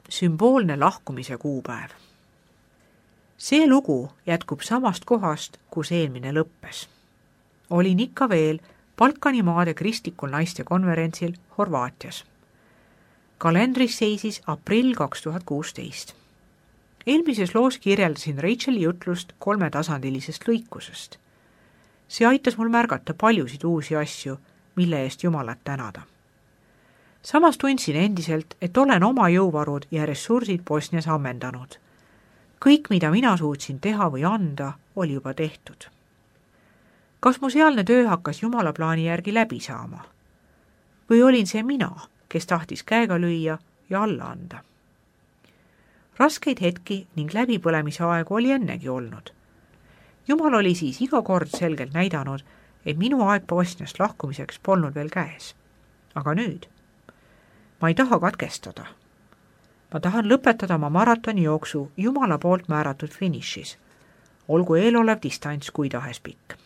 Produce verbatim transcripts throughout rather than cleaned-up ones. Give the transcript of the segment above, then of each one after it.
sümboolne lahkumise kuupäev. See lugu jätkub samast kohast, kus eelmine lõppes. Olin ikka veel Balkani maade kristlikul naiste konverentsil Horvaatias. Kalendris seisis aprill kaks tuhat kuusteist. Eelmises loos kirjeldasin Racheli jutlust kolmetasandilisest lõikusest. See aitas mul märgata paljusid uusi asju, mille eest Jumalat tänada. Samas tundsin endiselt, et olen oma jõuvarud ja ressursid Bosnias ammendanud. Kõik, mida mina suutsin teha või anda, oli juba tehtud. Kas mu sealne töö hakkas Jumala plaani järgi läbi saama? Või olin see mina, kes tahtis käega lüüa ja alla anda? Raskeid hetki ning läbipõlemise aegu oli ennegi olnud. Jumal oli siis iga kord selgelt näidanud, et minu aeg Bosniast lahkumiseks polnud veel käes. Aga nüüd? Ma ei taha katkestada. Ma tahan lõpetada oma maratoni jooksu Jumala poolt määratud finišis, olgu eelolev distants kui tahes pikk.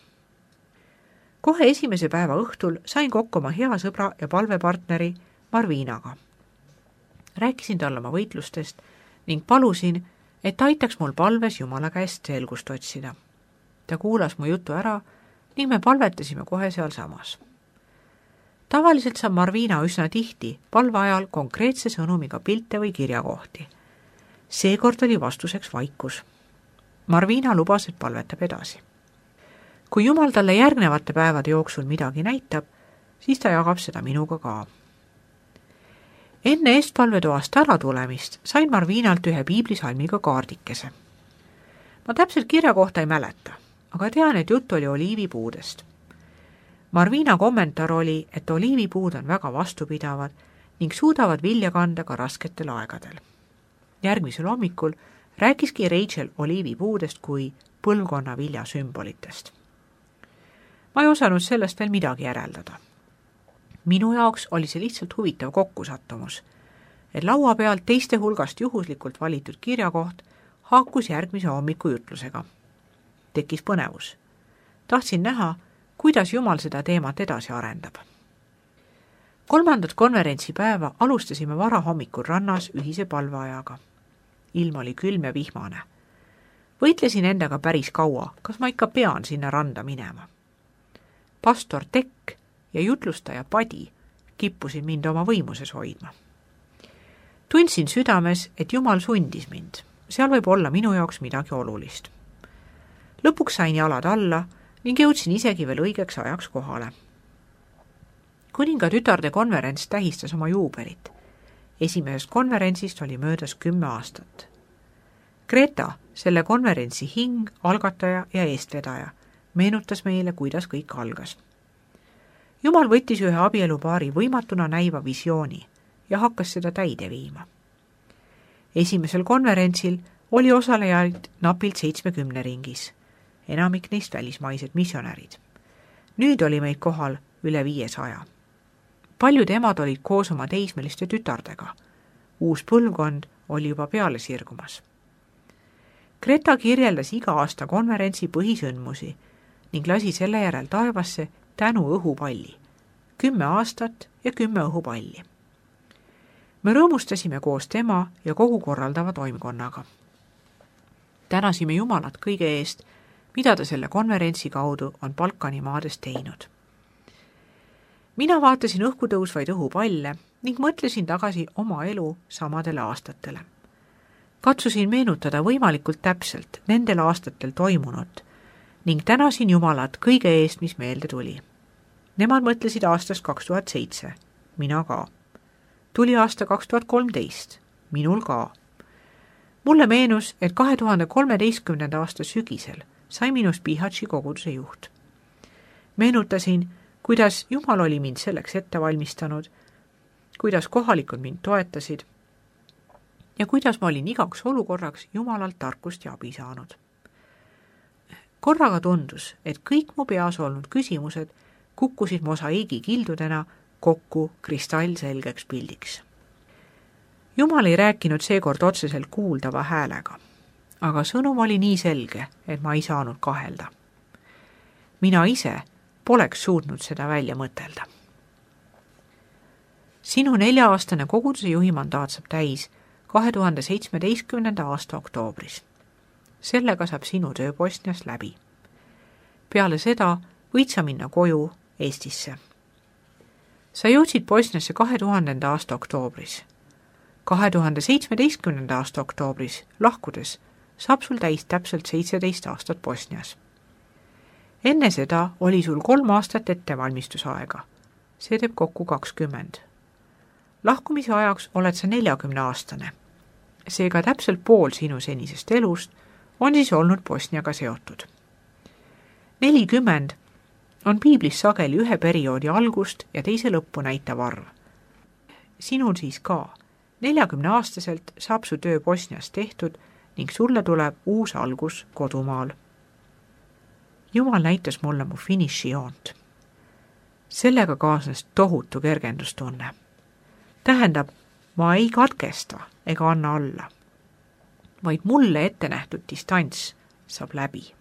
Kohe esimese päeva õhtul sain kokku oma hea sõbra ja palvepartneri Marvinaga. Rääkisin talle oma võitlustest ning palusin, et ta aitaks mul palves Jumala käest selgust otsida. Ta kuulas mu jutu ära ning me palvetasime kohe sealsamas. Tavaliselt saab Marvina üsna tihti palve ajal konkreetse sõnumiga pilte või kirjakohti. Seekord oli vastuseks vaikus. Marvina lubas, et palvetab edasi. Kui Jumal talle järgnevate päevade jooksul midagi näitab, siis ta jagab seda minuga ka. Enne eestpalvetoast ära tulemist sain Marvinalt ühe piiblisalmiga kaardikese. Ma täpselt kirja kohta ei mäleta, aga tean, et jutt oli oliivipuudest. Marvina kommentaar oli, et oliivipuud on väga vastupidavad ning suudavad vilja kanda ka rasketel aegadel. Järgmisel hommikul rääkiski Rachel oliivipuudest kui põlvkonna vilja sümbolitest. Ma ei osanud sellest veel midagi järeldada. Minu jaoks oli see lihtsalt huvitav kokkusattumus, et laua pealt teiste hulgast juhuslikult valitud kirjakoht haakus järgmise hommiku jutlusega. Tekkis põnevus. Tahtsin näha, kuidas Jumal seda teemat edasi arendab. Kolmandat konverentsipäeva alustasime vara hommikul rannas ühise palveajaga. Ilm oli külm ja vihmane. Võitlesin endaga päris kaua, kas ma ikka pean sinna randa minema. Pastor Tekk ja jutlustaja Padi kippusid mind oma võimuses hoidma. Tundsin südames, et Jumal sundis mind. Seal võib olla minu jaoks midagi olulist. Lõpuks sain jalad alla ning jõudsin isegi veel õigeks ajaks kohale. Kuninga tütarde konverents tähistas oma juubelit. Esimesest konverentsist oli möödas kümme aastat. Greta, selle konverentsi hing, algataja ja eestvedaja, meenutas meile, kuidas kõik algas. Jumal võttis ühe abielupaari võimatuna näiva visiooni ja hakkas seda täide viima. Esimesel konverentsil oli osalejaid napilt seitsmekümne ringis, enamik neist välismaised missionärid. Nüüd oli meid kohal üle viiesaja. Paljud emad olid koos oma teismeliste tütardega. Uus põlvkond oli juba peale sirgumas. Greta kirjeldas iga aasta konverentsi põhisündmusi ning lasi selle järel taevasse tänu õhupalli. Kümme aastat ja kümme õhupalli. Me rõõmustasime koos tema ja kogu korraldava toimkonnaga. Tänasime Jumalat kõige eest, mida ta selle konverentsi kaudu on Balkani maades teinud. Mina vaatasin õhku tõusvaid õhupalle ning mõtlesin tagasi oma elu samadele aastatele. Katsusin meenutada võimalikult täpselt nendel aastatel toimunut ning tänasin Jumalat kõige eest, mis meelde tuli. Nemad mõtlesid aastast kaks tuhat seitse, mina ka. Tuli aasta kaks tuhat kolmteist, minul ka. Mulle meenus, et kahe tuhande kolmeteistkümnenda aasta sügisel sai minust Bihatši koguduse juht. Meenutasin, kuidas Jumal oli mind selleks ette valmistanud, kuidas kohalikud mind toetasid ja kuidas ma olin igaks olukorraks Jumalalt tarkust ja abi saanud. Korraga tundus, et kõik mu peas olnud küsimused kukkusid mosaiigi kildudena kokku kristallselgeks pildiks. Jumal ei rääkinud seekord otseselt kuuldava häälega, aga sõnum oli nii selge, et ma ei saanud kahelda. Mina ise poleks suutnud seda välja mõtelda. Sinu nelja-aastane koguduse juhi mandaat saab täis kahe tuhande seitsmeteistkümnenda aasta oktoobris. Sellega saab sinu töö Bosnias läbi. Peale seda võid sa minna koju Eestisse. Sa jõudsid Bosniasse kahe tuhandenda aasta oktoobris. kahe tuhande seitsmeteistkümnenda aasta oktoobris lahkudes saab sul täis täpselt seitseteist aastat Bosnias. Enne seda oli sul kolm aastat ettevalmistusaega. See teeb kokku kakskümmend. Lahkumise ajaks oled sa neljakümne aastane. Seega täpselt pool sinu senisest elust on siis olnud Bosniaga seotud. nelikümmend on piiblis sageli ühe perioodi algust ja teise lõppu näitav arv. Sinul siis ka. neljakümneaastaselt saab su töö Bosnias tehtud ning sulle tuleb uus algus kodumaal. Jumal näitas mulle mu finišijoont. Sellega kaasnes tohutu kergendustunne. Tähendab, ma ei katkesta ega anna alla, vaid mulle ette nähtud distants saab läbi.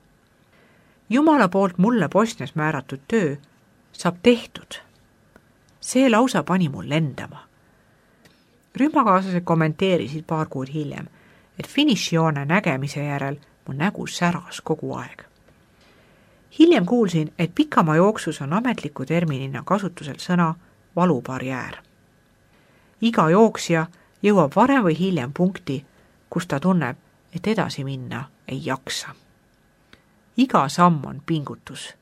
Jumala poolt mulle Bosnias määratud töö saab tehtud. See lausa pani mul lendama. Rühmakaaslased kommenteerisid paar kuud hiljem, et finišijoone nägemise järel mu nägu säras kogu aeg. Hiljem kuulsin, et pikama jooksus on ametliku terminina kasutusel sõna valubarjäär. Iga jooksja jõuab varem või hiljem punkti, kus ta tunneb, et edasi minna ei jaksa. Iga samm on pingutus.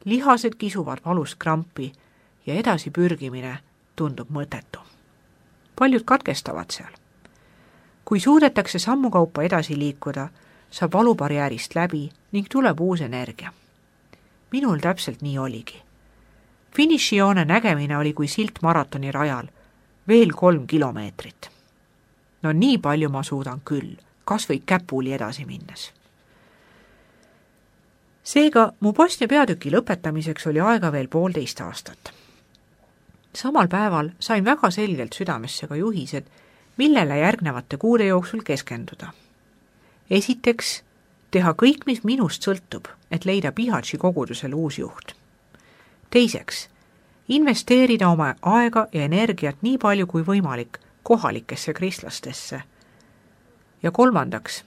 Lihased kisuvad valust krampi ja edasi pürgimine tundub mõttetu. Paljud katkestavad seal. Kui suudetakse sammukaupa edasi liikuda, saab valubarjäärist läbi ning tuleb uus energia. Minul täpselt nii oligi. Finišijoone nägemine oli kui silt maratoni rajal, veel kolm kilomeetrit. No nii palju ma suudan küll, kas või käpuli edasi minnes. Seega mu Bosnia peatüki lõpetamiseks oli aega veel poolteist aastat. Samal päeval sain väga selgelt südamesse ka juhised, millele järgnevate kuude jooksul keskenduda. Esiteks, teha kõik, mis minust sõltub, et leida Bihaći kogudusele uus juht. Teiseks, investeerida oma aega ja energiat nii palju kui võimalik kohalikesse kristlastesse. Ja kolmandaks,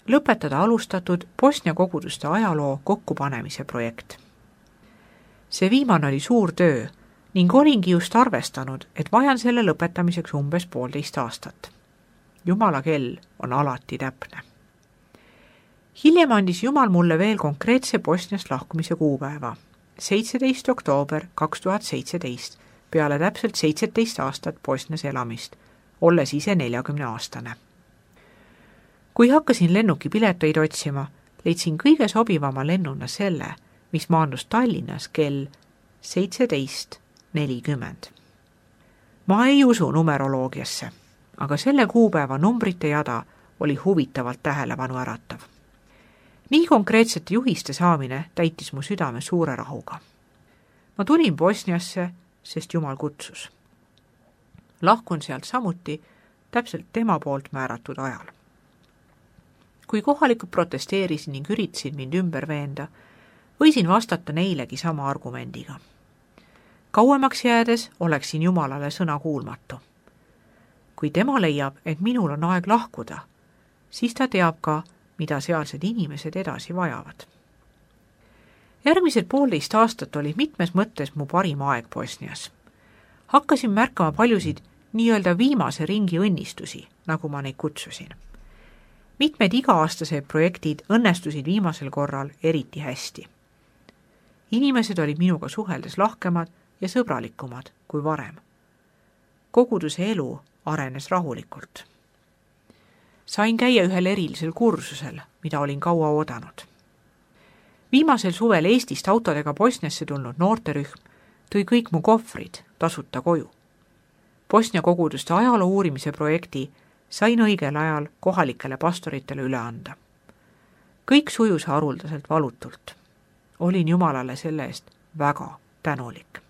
lõpetada alustatud Bosnia koguduste ajaloo kokkupanemise projekt. See viimane oli suur töö ning olingi just arvestanud, et vajan selle lõpetamiseks umbes poolteist aastat. Jumala kell on alati täpne. Hiljem andis Jumal mulle veel konkreetse Bosniast lahkumise kuupäeva, seitseteist oktoober kaks tuhat seitseteist, peale täpselt seitseteist aastat Bosnias elamist, olles ise neljakümne aastane. Kui hakkasin lennukipileteid otsima, leidsin kõige sobivama lennuna selle, mis maandus Tallinnas kell seitseteist nelikümmend. Ma ei usu numeroloogiasse, aga selle kuupäeva numbrite jada oli huvitavalt tähelepanu äratav. Nii konkreetsete juhiste saamine täitis mu südame suure rahuga. Ma tulin Bosniasse, sest Jumal kutsus. Lahkun sealt samuti täpselt tema poolt määratud ajal. Kui kohalikud protesteerisid ning üritasid mind ümber veenda, võisin vastata neilegi sama argumendiga. Kauemaks jäädes oleksin Jumalale sõna kuulmatu. Kui tema leiab, et minul on aeg lahkuda, siis ta teab ka, mida sealsed inimesed edasi vajavad. Järgmised poolteist aastat oli mitmes mõttes mu parim aeg Bosnias. Hakkasin märkama paljusid nii-öelda viimase ringi õnnistusi, nagu ma neid kutsusin. Mitmed iga-aastased projektid õnnestusid viimasel korral eriti hästi. Inimesed olid minuga suheldes lahkemad ja sõbralikumad kui varem. Koguduse elu arenes rahulikult. Sain käia ühel erilisel kursusel, mida olin kaua oodanud. Viimasel suvel Eestist autodega Bosniasse tulnud noorterühm tõi kõik mu kohvrid tasuta koju. Bosnia koguduste ajaloo uurimise projekti sain õigel ajal kohalikele pastoritele üle anda. Kõik sujus haruldaselt valutult. Olin Jumalale selle eest väga tänulik.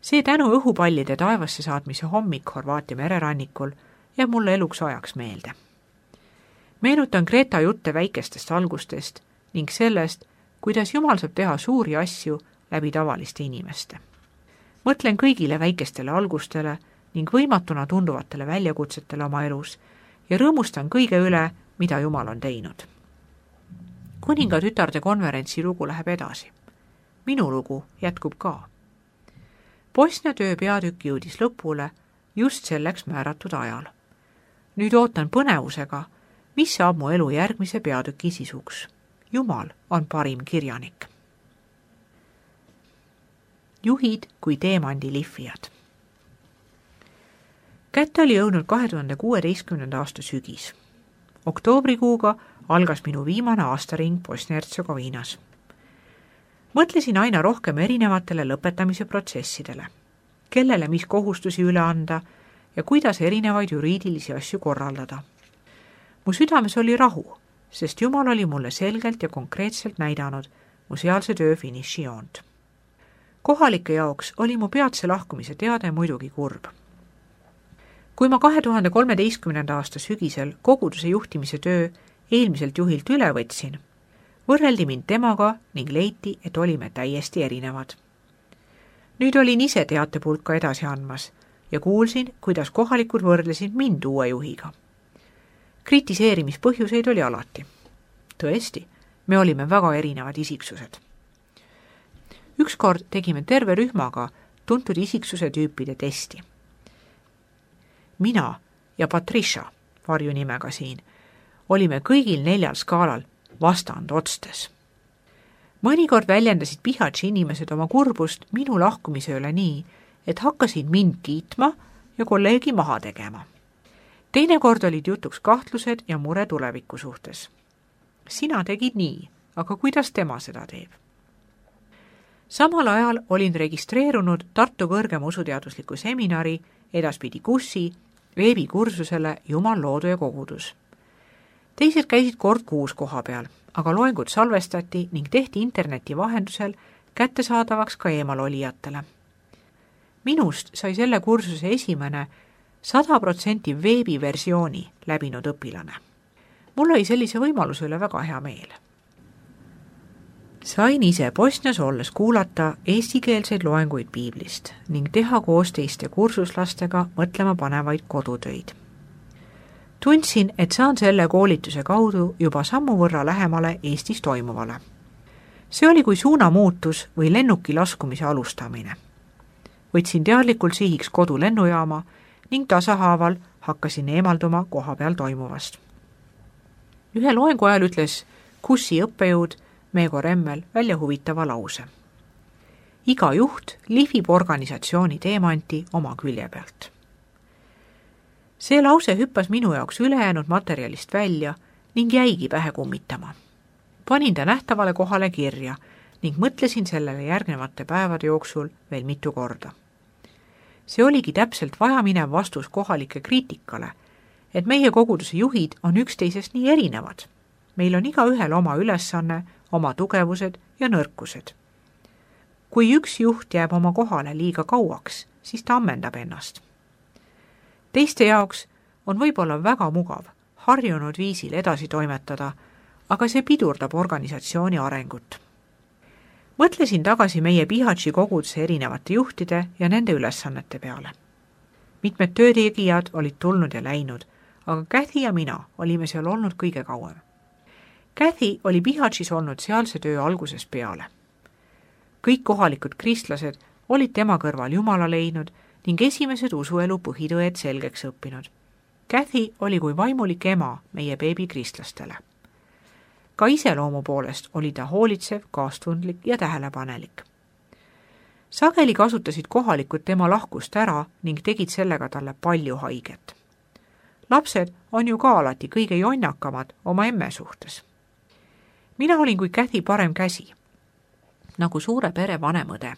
See tänu õhupallide taevasse saatmise hommik Horvaatia mererannikul jääb mulle eluks ajaks meelde. Meenutan Greta jutte väikestest algustest ning sellest, kuidas Jumal saab teha suuri asju läbi tavaliste inimeste. Mõtlen kõigile väikestele algustele ning võimatuna tunduvatele väljakutsetele oma elus ja rõõmustan kõige üle, mida Jumal on teinud. Kuninga tütarde konverentsi lugu läheb edasi. Minu lugu jätkub ka. Bosnia töö peatükk jõudis lõpule just selleks määratud ajal. Nüüd ootan põnevusega, mis saab mu elu järgmise peatüki sisuks. Jumal on parim kirjanik. Juhid kui teemandilihvijad. Kätte oli jõudnud kahe tuhande kuueteistkümnenda aasta sügis. Oktoobrikuuga algas minu viimane aastaring Bosnia-Hertsegoviinas. Mõtlesin aina rohkem erinevatele lõpetamise protsessidele, kellele mis kohustusi üle anda ja kuidas erinevaid juriidilisi asju korraldada. Mu südames oli rahu, sest Jumal oli mulle selgelt ja konkreetselt näidanud mu sealse töö finišijoont. Kohalike jaoks oli mu peatse lahkumise teade muidugi kurb. Kui ma kahe tuhande kolmeteistkümnenda aasta sügisel koguduse juhtimise töö eelmiselt juhilt üle võtsin, võrreldi mind temaga ning leiti, et olime täiesti erinevad. Nüüd olin ise teatepulka edasi andmas ja kuulsin, kuidas kohalikud võrdlesid mind uue juhiga. Kritiseerimispõhjuseid oli alati. Tõesti, me olime väga erinevad isiksused. Ükskord tegime terve rühmaga tuntud isiksuse tüüpide testi. Mina ja Patricia, varjunimega siin, olime kõigil neljal skaalal vastand otstes. Mõnikord väljendasid Pihatši inimesed oma kurbust minu lahkumise üle nii, et hakkasid mind kiitma ja kolleegi maha tegema. Teinekord olid jutuks kahtlused ja mure tuleviku suhtes. Sina tegid nii, aga kuidas tema seda teeb? Samal ajal olin registreerunud Tartu kõrgema usuteadusliku seminari, edaspidi kussi, veebikursusele Jumal loodu ja kogudus. Teised käisid kord kuus koha peal, aga loengud salvestati ning tehti interneti vahendusel kättesaadavaks ka eemalolijatele. Minust sai selle kursuse esimene sada protsenti veebiversiooni läbinud õpilane. Mul oli sellise võimaluse üle väga hea meel. Sain ise Bosnias olles kuulata eestikeelseid loenguid piiblist ning teha koos teiste kursuslastega mõtlema panevaid kodutöid. Tundsin, et saan selle koolituse kaudu juba sammu võrra lähemale Eestis toimuvale. See oli kui suunamuutus või lennuki laskumise alustamine. Võtsin teadlikult sihiks kodu lennujaama ning tasahaaval hakkasin eemalduma koha peal toimuvast. Ühe loengu ajal ütles kussi õppejõud Meego Remmel välja huvitava lause. Iga juht lihvib organisatsiooni teemanti oma külje pealt. See lause hüppas minu jaoks ülejäänud materjalist välja ning jäigi pähe kummitama. Panin ta nähtavale kohale kirja ning mõtlesin sellele järgnevate päevade jooksul veel mitu korda. See oligi täpselt vajaminev vastus kohalike kriitikale, et meie koguduse juhid on üksteisest nii erinevad. Meil on iga ühel oma ülesanne, oma tugevused ja nõrkused. Kui üks juht jääb oma kohale liiga kauaks, siis ta ammendab ennast. Teiste jaoks on võib-olla väga mugav harjunud viisil edasi toimetada, aga see pidurdab organisatsiooni arengut. Mõtlesin tagasi meie Pihatši koguduse erinevate juhtide ja nende ülesannete peale. Mitmed töötegijad olid tulnud ja läinud, aga Kathy ja mina olime seal olnud kõige kauem. Kathy oli Pihatšis olnud sealse töö algusest peale. Kõik kohalikud kristlased olid tema kõrval Jumala leidnud ning esimesed usuelu põhitõed selgeks õppinud. Kathy oli kui vaimulik ema meie beebikristlastele. Ka iseloomu poolest oli ta hoolitsev, kaastundlik ja tähelepanelik. Sageli kasutasid kohalikud tema lahkust ära ning tegid sellega talle palju haiget. Lapsed on ju ka alati kõige jonnakamad oma emme suhtes. Mina olin kui Kathy parem käsi, nagu suure pere vanemõde.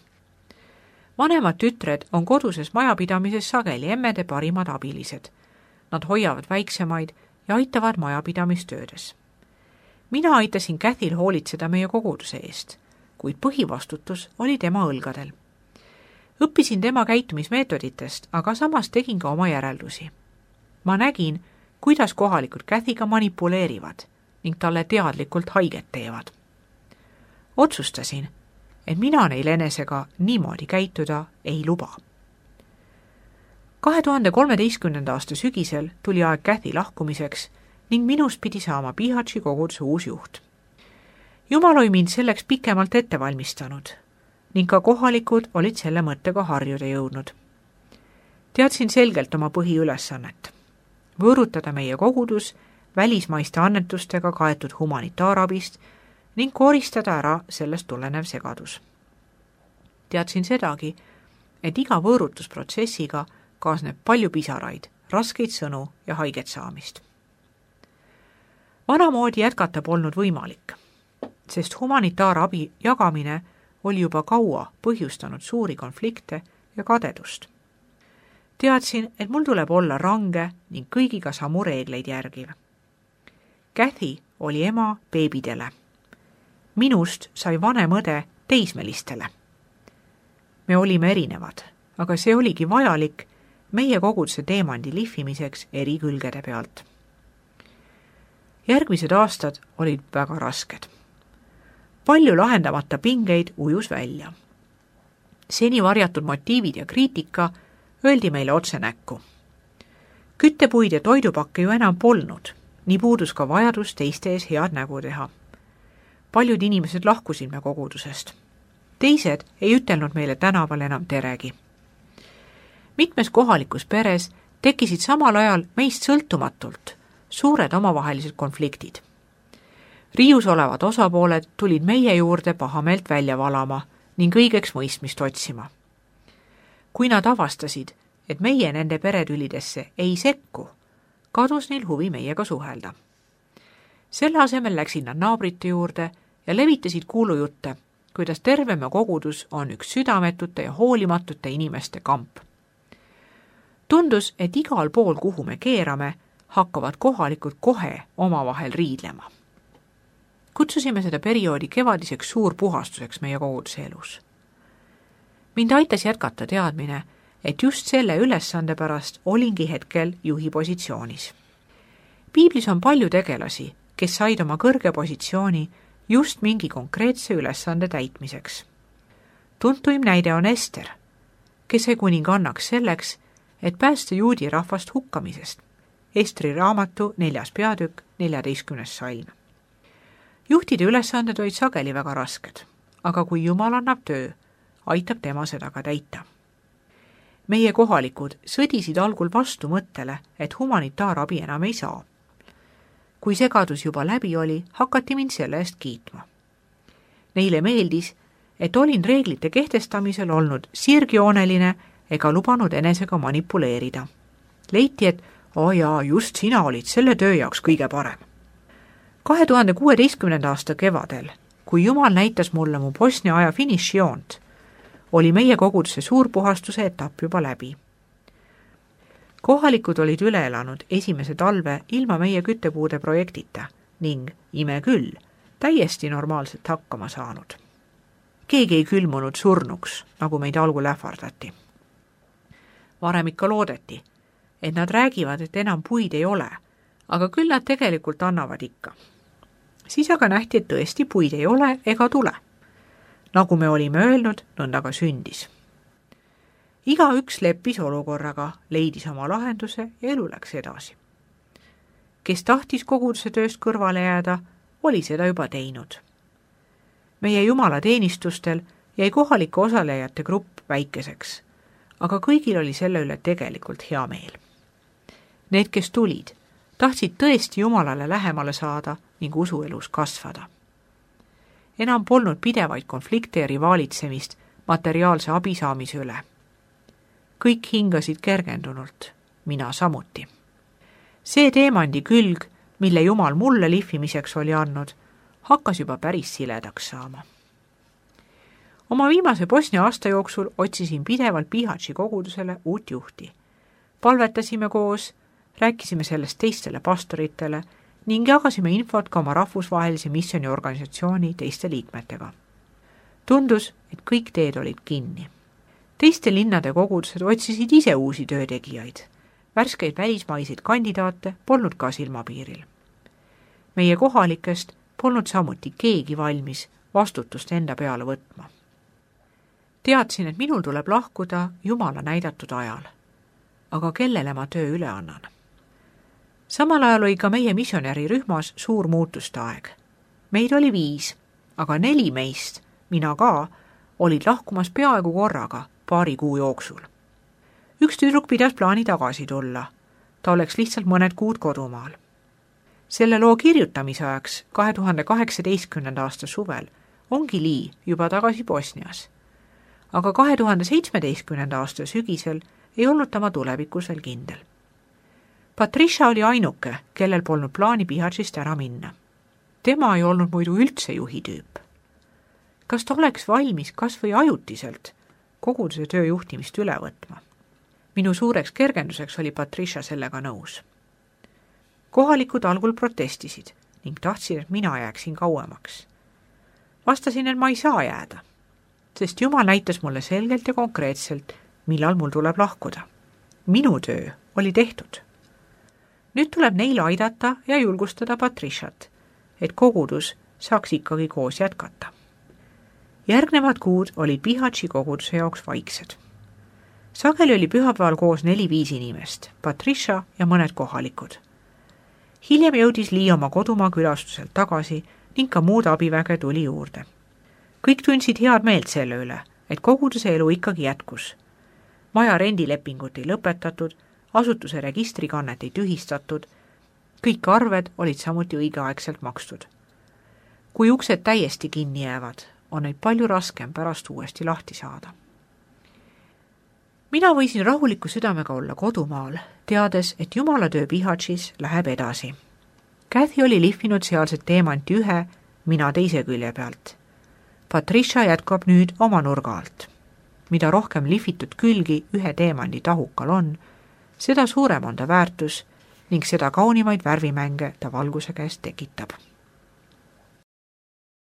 Vanemad tütred on koduses majapidamises sageli emmede parimad abilised. Nad hoiavad väiksemaid ja aitavad majapidamistöödes. Mina aitasin Kathyl hoolitseda meie koguduse eest, kuid põhivastutus oli tema õlgadel. Õppisin tema käitumismeetoditest, aga samas tegin ka oma järeldusi. Ma nägin, kuidas kohalikud Kathyga manipuleerivad ning talle teadlikult haiget teevad. Otsustasin, et mina neil enesega niimoodi käituda ei luba. kahe tuhande kolmeteistkümnenda aasta sügisel tuli aeg Cathy lahkumiseks ning minust pidi saama Pihatši koguduse uus juht. Jumal oli mind selleks pikemalt ette valmistanud ning ka kohalikud olid selle mõttega harjuda jõudnud. Teadsin selgelt oma põhiülesannet. Võõrutada meie kogudus välismaiste annetustega kaetud humanitaarabist ning koristada ära sellest tulenev segadus. Teadsin sedagi, et iga võõrutusprotsessiga kaasneb palju pisaraid, raskeid sõnu ja haiget saamist. Vanamoodi jätkata polnud võimalik, sest humanitaarabi jagamine oli juba kaua põhjustanud suuri konflikte ja kadedust. Teadsin, et mul tuleb olla range ning kõigiga samu reegleid järgiv. Cathy oli ema beebidele. Minust sai vanem õde teismelistele. Me olime erinevad, aga see oligi vajalik meie koguduse teemandi lihvimiseks eri külgede pealt. Järgmised aastad olid väga rasked. Palju lahendamata pingeid ujus välja. Seni varjatud motiivid ja kriitika öeldi meile otse näkku. Küttepuid ja toidupakke ju enam polnud, nii puudus ka vajadus teiste ees head nägu teha. Paljud inimesed lahkusid me kogudusest. Teised ei ütelnud meile tänaval enam teregi. Mitmes kohalikus peres tekkisid samal ajal meist sõltumatult suured omavahelised konfliktid. Riius olevad osapooled tulid meie juurde pahameelt välja valama ning õigeks mõistmist otsima. Kui nad avastasid, et meie nende peretülidesse ei sekku, kadus neil huvi meiega suhelda. Selle asemel läksid nad naabrite juurde ja levitasid kuulujutte, kuidas terveme kogudus on üks südametute ja hoolimatute inimeste kamp. Tundus, et igal pool, kuhu me keerame, hakkavad kohalikud kohe omavahel riidlema. Kutsusime seda perioodi kevadiseks suurpuhastuseks meie koguduse elus. Mind aitas jätkata teadmine, et just selle ülesande pärast olingi hetkel juhi positsioonis. Piiblis on palju tegelasi, kes said oma kõrge positsiooni just mingi konkreetse ülesande täitmiseks. Tuntuim näide on Ester, kes sai kuningannaks selleks, et päästa juudi rahvast hukkamisest. Estri raamatu neljas peatükk, neljateistkümnes salm. Juhtide ülesanded olid sageli väga rasked, aga kui Jumal annab töö, aitab tema seda ka täita. Meie kohalikud sõdisid algul vastu mõttele, et humanitaarabi enam ei saa. Kui segadus juba läbi oli, hakati mind selle eest kiitma. Neile meeldis, et olin reeglite kehtestamisel olnud sirgjooneline ega lubanud enesega manipuleerida. Leiti, et o jaa, just sina olid selle töö jaoks kõige parem. kahe tuhande kuueteistkümnenda aasta kevadel, kui Jumal näitas mulle mu Bosnia aja finišijoont, oli meie koguduse suurpuhastuse etapp juba läbi. Kohalikud olid üle elanud esimese talve ilma meie küttepuude projektita ning, ime küll, täiesti normaalselt hakkama saanud. Keegi ei külmunud surnuks, nagu meid algul ähvardati. Varem ikka loodeti, et nad räägivad, et enam puid ei ole, aga küll nad tegelikult annavad ikka. Siis aga nähti, et tõesti puid ei ole ega tule. Nagu me olime öelnud, nõnda ka sündis. Iga üks leppis olukorraga, leidis oma lahenduse ja elu läks edasi. Kes tahtis koguduse tööst kõrvale jääda, oli seda juba teinud. Meie jumalateenistustel jäi kohalike osalejate grupp väikeseks, aga kõigil oli selle üle tegelikult hea meel. Need, kes tulid, tahtsid tõesti Jumalale lähemale saada ning usuelus kasvada. Enam polnud pidevaid konflikte ja rivaalitsemist materiaalse abi saamise üle. Kõik hingasid kergendunult, mina samuti. See teemandi külg, mille Jumal mulle lihvimiseks oli andnud, hakkas juba päris siledaks saama. Oma viimase Bosnia aasta jooksul otsisin pidevalt Pihatši kogudusele uut juhti. Palvetasime koos, rääkisime sellest teistele pastoritele ning jagasime infot ka oma rahvusvahelise missiooniorganisatsiooni teiste liikmetega. Tundus, et kõik teed olid kinni. Teiste linnade kogudused otsisid ise uusi töötegijaid. Värskeid välismaiseid kandidaate polnud ka silmapiiril. Meie kohalikest polnud samuti keegi valmis vastutust enda peale võtma. Teadsin, et minul tuleb lahkuda Jumala näidatud ajal. aga kellele ma töö üle annan. Samal ajal oli ka meie missionärirühmas suur muutuste aeg. Meid oli viis, aga neli meist, mina ka, olid lahkumas peaaegu korraga paari kuu jooksul. Üks tüdruk pidas plaani tagasi tulla. Ta oleks lihtsalt mõned kuud kodumaal. Selle loo kirjutamise ajaks kahe tuhande kaheksateistkümnenda aasta suvel ongi Lee juba tagasi Bosnias. Aga kahe tuhande seitsmeteistkümnenda aasta sügisel ei olnud tema tulevikus veel kindel. Patricia oli ainuke, kellel polnud plaani Bihaćist ära minna. Tema ei olnud muidu üldse juhi tüüp. Kas ta oleks valmis kas või ajutiselt koguduse tööjuhtimist üle võtma? Minu suureks kergenduseks oli Patricia sellega nõus. Kohalikud algul protestisid ning tahtsid, et mina jääksin kauemaks. Vastasin, et ma ei saa jääda, sest Jumal näitas mulle selgelt ja konkreetselt, millal mul tuleb lahkuda. Minu töö oli tehtud. Nüüd tuleb neil aidata ja julgustada Patriciat, et kogudus saaks ikkagi koos jätkata. Järgnevad kuud olid Bihaći koguduse jaoks vaiksed. Sageli oli pühapäeval koos neli-viis inimest, Patricia ja mõned kohalikud. Hiljem jõudis Lee oma kodumaa külastuselt tagasi ning ka muud abiväge tuli juurde. Kõik tundsid head meelt selle üle, et koguduse elu ikkagi jätkus. Maja rendilepingut ei lõpetatud, asutuse registrikannet ei tühistatud, kõik arved olid samuti õigeaegselt makstud. Kui uksed täiesti kinni jäävad, on neid palju raskem pärast uuesti lahti saada. Mina võisin rahuliku südamega olla kodumaal, teades, et Jumala töö Bihaćis läheb edasi. Kathy oli lihvinud sealset teemanti ühe, mina teise külje pealt. Patricia jätkab nüüd oma nurga alt. Mida rohkem lihvitud külgi ühe teemandi tahukal on, seda suurem on ta väärtus ning seda kaunimaid värvimänge ta valguse käest tekitab.